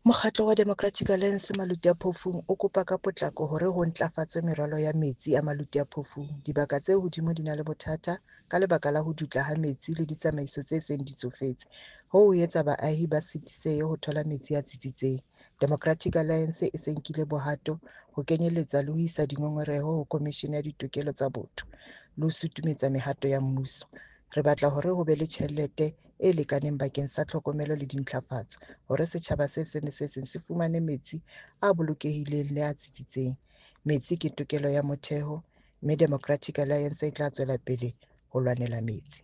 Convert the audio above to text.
Mokgatlo wa Democratic Alliance Maluti-a-Phofung o kopa ka potlako hore ho ntlafatswe meralo ya metsi a Maluti-a-Phofung. Dibaka tse hodimo di na le bothata ka lebaka la ho dutla ha metsi le ditsamaiso tse seng di tsofetse. Hoo ho etsa baahi ba sitisehe ho thola metsi a tsitsitseng. Democratic Alliance e se nkile bohato ho kenyeletsa le ho isa dingongoreho ho Commission ya Ditokelo tsa Botho le ho sutumetsa mehato ya mmuso. Re batla hore ho be le tjhelete e lekaneng bakeng sa tlhokomelo le dintlhafatso hore setjhaba se seng le se seng se fumane metsi a bolokehileng le a tsitsitseng. Metsi ke tokelo ya motheo, mme Democratic Alliance e tla tswela pele ho lwanela metsi.